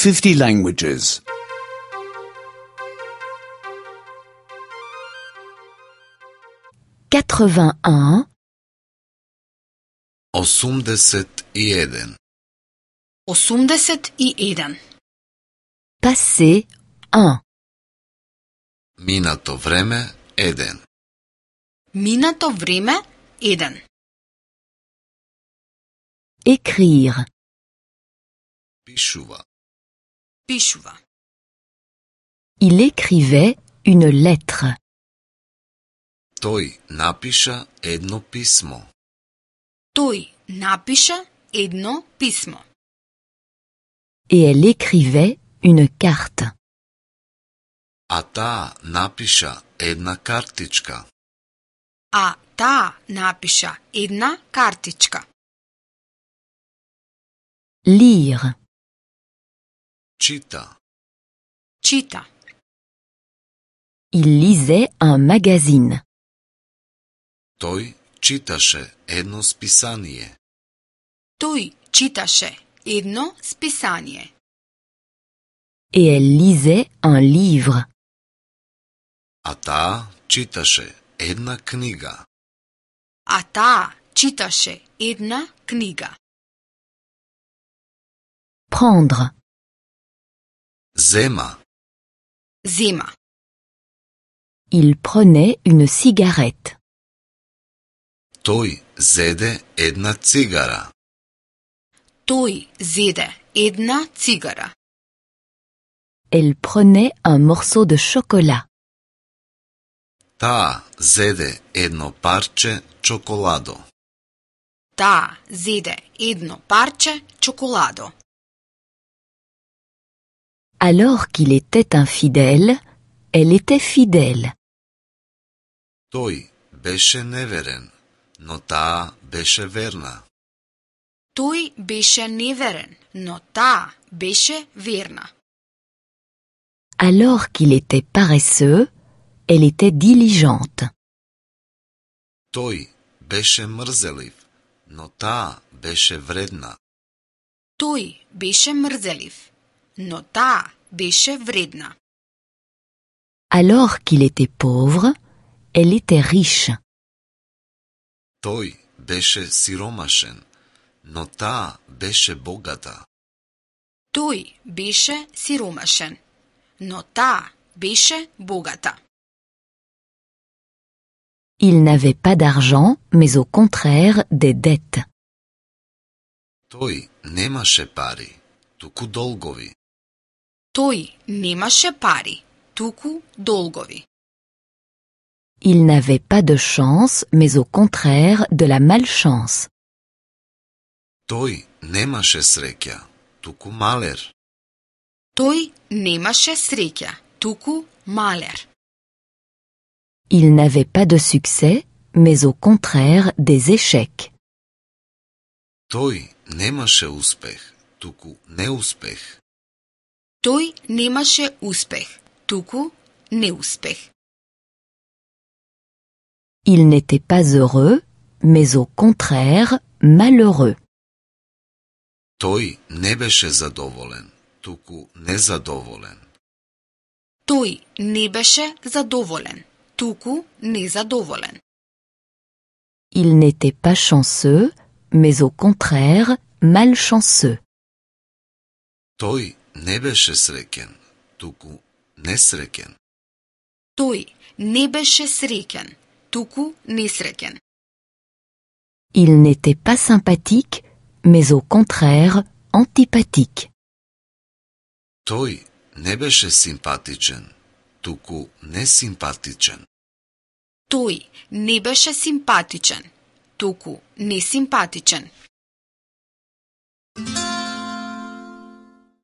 50 languages. 81 81. 81. Passé 1 Минато време 1. Минато време 1. Écrire Пишува. Пишува. Il écrivait une lettre. Тој напиша едно писмо. Тој напиша едно писмо. Et elle écrivait une carte. А таа напиша една картичка. А таа напиша една картичка. Lire Чита. Чита. Il lisait un magazine. Тој читаше едно списание. Тој читаше едно списание. Et elle lisait un livre. А таа читаше една книга. А таа читаше една книга. Prendre Зема. Зема. Il prenait une cigarette. Тој зеде една цигара. Тој зеде една цигара. Elle prenait un morceau de chocolat. Таа зеде едно парче чоколадо. Таа зеде едно парче чоколадо. Alors qu'il était infidèle, elle était fidèle. Тој беше неверен, но таа беше верна. Тој беше неверен, но таа беше верна. Alors qu'il était paresseux, elle était diligente. Тој беше мрзелив, но таа беше вредна. Тој беше мрзелив, но таа беше вредна. Alors qu'il était pauvre, elle était riche. Тој беше сиромашен, но таа беше богата. Тој беше сиромашен, но таа беше богата. Il n'avait pas d'argent, mais au contraire des dettes. Тој немаше пари, туку долгови. Тој немаше пари, туку долгови. Il n'avait pas de chance, mais au contraire de la malchance. Тој немаше среќа, туку малер. Тој немаше среќа, туку малер. Il n'avait pas de succès, mais au contraire des échecs. Тој немаше успех, туку неуспех. Тој немаше успех, туку неуспех. Il n'était pas heureux, mais au contraire malheureux. Тој не беше задоволен, туку незадоволен. Тој не беше задоволен, туку незадоволен. Il n'était pas chanceux, mais au contraire malchanceux. Тој не беше среќен, туку несреќен. Тој не беше среќен, туку несреќен. Il n'était pas sympathique, mais au contraire antipathique. Тој не беше симпатичен, туку несимпатичен. Тој не беше симпатичен, туку несимпатичен.